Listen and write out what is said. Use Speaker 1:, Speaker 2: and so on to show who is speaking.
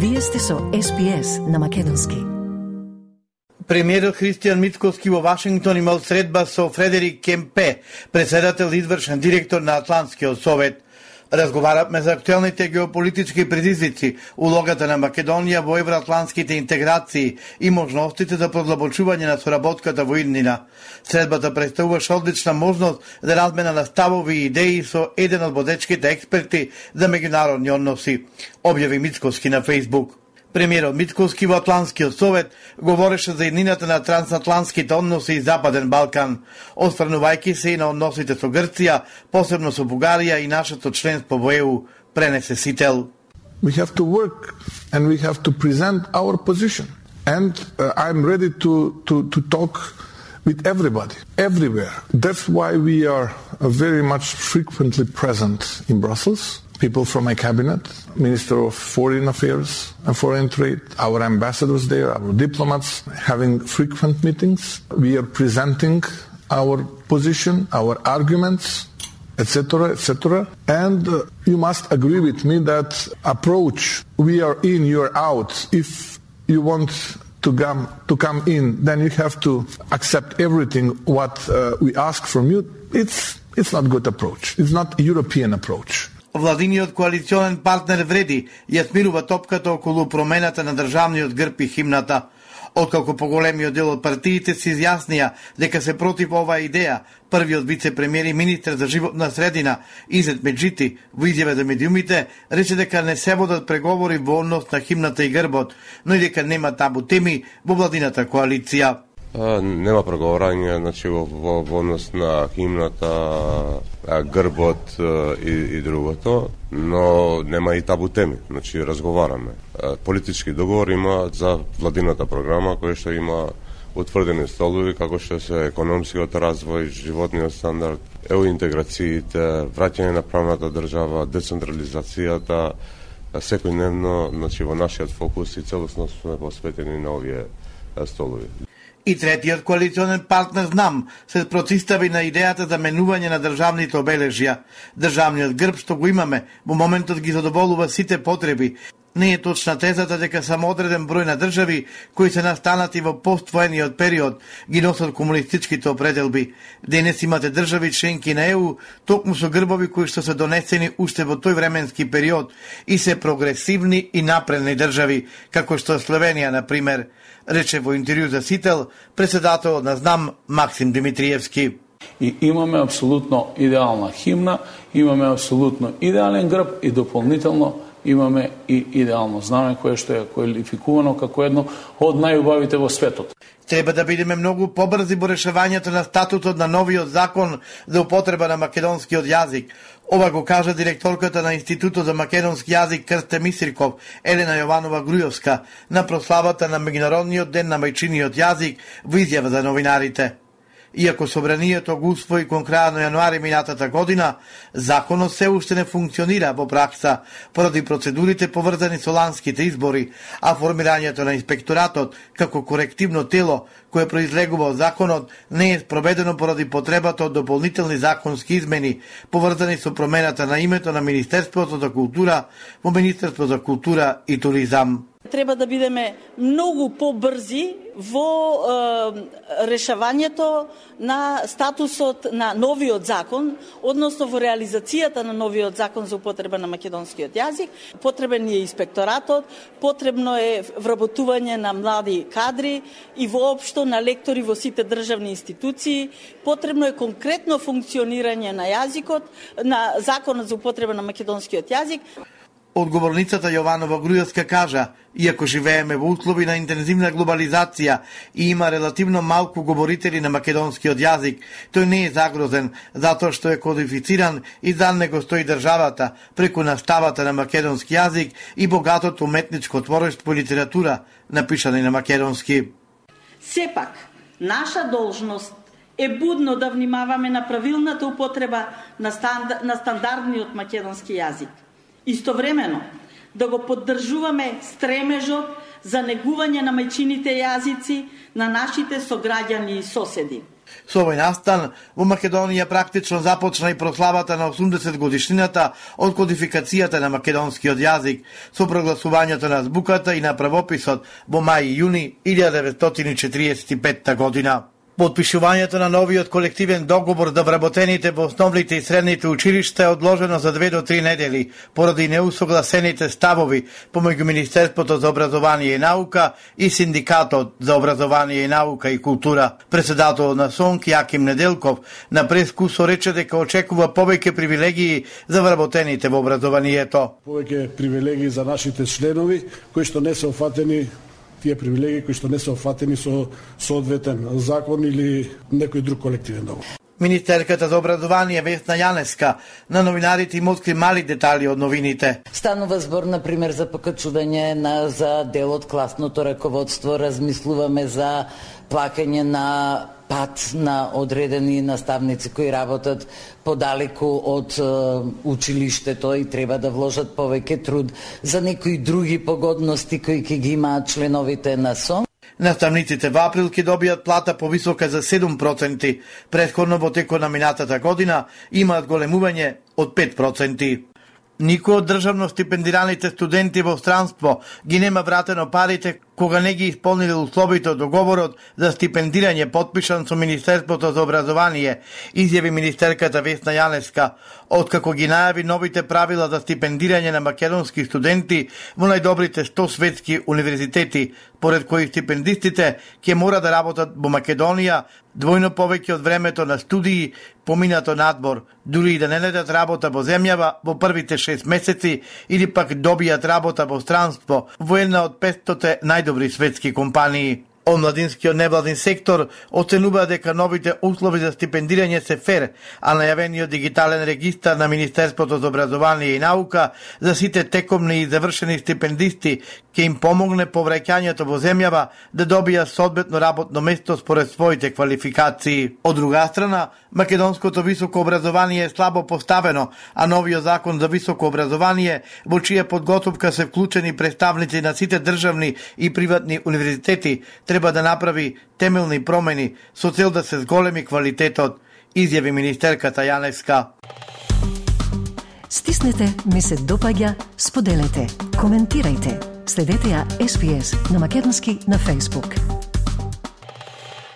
Speaker 1: Вие сте со SPS на македонски.
Speaker 2: Премиерот Христијан Мицкоски во Вашингтон имал средба со Фредерик Кемпе, председател и извршен директор на Атлантскиот совет. Разговаравме за актуелните геополитички предизвици, улогата на Македонија во евроатлантските интеграции и можностите за продлабочување на соработката во иднина. Средбата представуваше одлична можност за размена на ставови и идеи со еден од водечките експерти за меѓународни односи, објави Мицкоски на Фејсбук. Премиерот Мицкоски во Атлантскиот совет говореше за иднината на трансатлантските односи и Западен Балкан, осврнувајќи се и на односите со Грција, посебно со Бугарија и нашето членство во ЕУ, пренесе Сител.
Speaker 3: We have to work and we have to present our position. And I'm ready to talk with everybody, everywhere. That's why we are very much frequently present in Brussels. People from my cabinet, Minister of Foreign Affairs and Foreign Trade, our ambassadors there, our diplomats, having frequent meetings. We are presenting our position, our arguments, etc., etc. And you must agree with me that approach, we are in, you are out. If you want to come in, then you have to accept everything what we ask from you. It's not good approach. It's not European approach.
Speaker 2: Владиниот коалиционен партнер Вреди ја смирува топката околу промената на државниот грб и химната. Откако поголемиот дел од партиите се изјаснија дека се против оваа идеја, првиот вице-премиер и министер за животна средина Изет Меджити во изјава за медиумите рече дека не се водат преговори во однос на химната и грбот, но и дека нема табу теми во владината коалиција.
Speaker 4: Нема преговорање, значи во однос на химната, грбот и другото, но нема и табу теми, значи разговараме. Политички договор има за владината програма која што има утврдени столови како што се економскиот развој, животниот стандард, ЕУ интеграциите, враќање на правната држава, децентрализацијата, секојдневно, значи во нашиот фокус и целосно сме посветени на овие столови.
Speaker 2: И третиот коалиционен партнер ЗНАМ се протистави на идејата за менување на државните обележја. Државниот грб што го имаме во моментот ги задоволува сите потреби. Не е точна тезата дека само одреден број на држави кои се настанати во поствоениот период ги носат комунистичките определби. Денес имате држави членки на ЕУ токму со грбови кои што се донесени уште во тој временски период и се прогресивни и напредни држави, како што Словенија, на пример, рече во интервју за Сител председателот на ЗНАМ Максим Димитриевски.
Speaker 5: И имаме апсолутно идеална химна, имаме апсолутно идеален грб и дополнително имаме и идеално знаме кое што е квалификувано како едно од најубавите во светот.
Speaker 2: Треба да бидеме многу побрзи во решавањето на статутот на новиот закон за употреба на македонскиот јазик. Ова го кажа директорката на Институтот за македонски јазик Крсте Мисирков, Елена Јованова Грујовска, на прославата на Меѓународниот ден на мајчиниот јазик во изјава за новинарите. Иако собранието го усвои кон крајот на јануари минатата година, законот се уште не функционира во пракса поради процедурите поврзани со ланските избори, а формирањето на инспекторатот како корективно тело кое произлегува од законот не е спроведено поради потребата од дополнителни законски измени поврзани со промената на името на Министерството за култура во Министерство за култура и туризам.
Speaker 6: Треба да бидеме многу побрзи во решавањето на статусот на новиот закон, односно во реализацијата на новиот закон за употреба на македонскиот јазик. Потребен е инспекторатот, потребно е вработување на млади кадри и воопшто на лектори во сите државни институции, потребно е конкретно функционирање на јазикот, на законот за употреба на македонскиот јазик.
Speaker 2: Одговорницата Јованова Грујовска кажа, иако живееме во услови на интензивна глобализација и има релативно малку говорители на македонскиот јазик, тој не е загрозен, затоа што е кодифициран и за него стои државата преку наставата на македонски јазик и богатото уметничко творештво и литература, напишани на македонски.
Speaker 6: Сепак, наша должност е будно да внимаваме на правилната употреба на стандардниот македонски јазик. Истовремено, да го поддржуваме стремежот за негување на мајчините јазици на нашите сограѓани и соседи.
Speaker 2: Со овој настан, во Македонија практично започна и прославата на 80 годишнината од кодификацијата на македонскиот јазик, со прогласувањето на азбуката и на правописот во мај и јуни 1945 година. Подпишувањето на новиот колективен договор за вработените во основните и средните училишта е одложено за 2 до 3 недели поради неусогласените ставови помеѓу Министерството за образование и наука и Синдикатот за образование и наука и култура. Председател на СОНК Јаким Неделков на прескусо рече дека очекува повеќе привилегии за вработените во образованието.
Speaker 7: Повеќе привилегии за нашите членови кои што не се офатени, тие привилегии кои што не се офатени со соодветен закон или некој друг колективен договор.
Speaker 2: Министерката за образование Весна Јанеска на новинарите им откри мали детали од новините.
Speaker 8: Станува збор, например, за покачување за дел од класното раководство, размислуваме за плакање на пат на одредени наставници кои работат подалеку од училиштето и треба да вложат повеќе труд, за некои други погодности кои ќе ги имаат членовите на СОН.
Speaker 2: Наставниците во април ќе добијат плата повисока за 7%, претходно во текот на минатата година имаат големување од 5%. Никој од државно стипендираните студенти во странство ги нема вратено парите кога не ги исполниле условите од договорот за стипендирање подпишан со Министерството за образование, изјави министерката Весна Јанеска, откако ги најави новите правила за стипендирање на македонски студенти во најдобрите 100 светски универзитети, поред кои стипендистите ќе мора да работат во Македонија двојно повеќе од времето на студии поминато надбор, дури и да не најдат работа во земјава во првите 6 месеци или пак добијат работа во странство во една од 500 најдобри светски компании. Омладинскиот невладин сектор оценува дека новите услови за стипендирање се фер, а најавениот дигитален регистар на Министерството за образование и наука за сите текомни и завршени стипендисти ќе им помогне по враќањето во земјава да добија соодветно работно место според своите квалификации. Од друга страна, македонското високо образование е слабо поставено, а новиот закон за високо образование, во чија подготовка се вклучени представници на сите државни и приватни универзитети, треба да направи темелни промени со цел да се зголеми квалитетот, изјави министерката Јанеска.
Speaker 1: Стиснете, ми се допаѓа, споделете, коментирајте. Следете ја SPS на македонски на Facebook.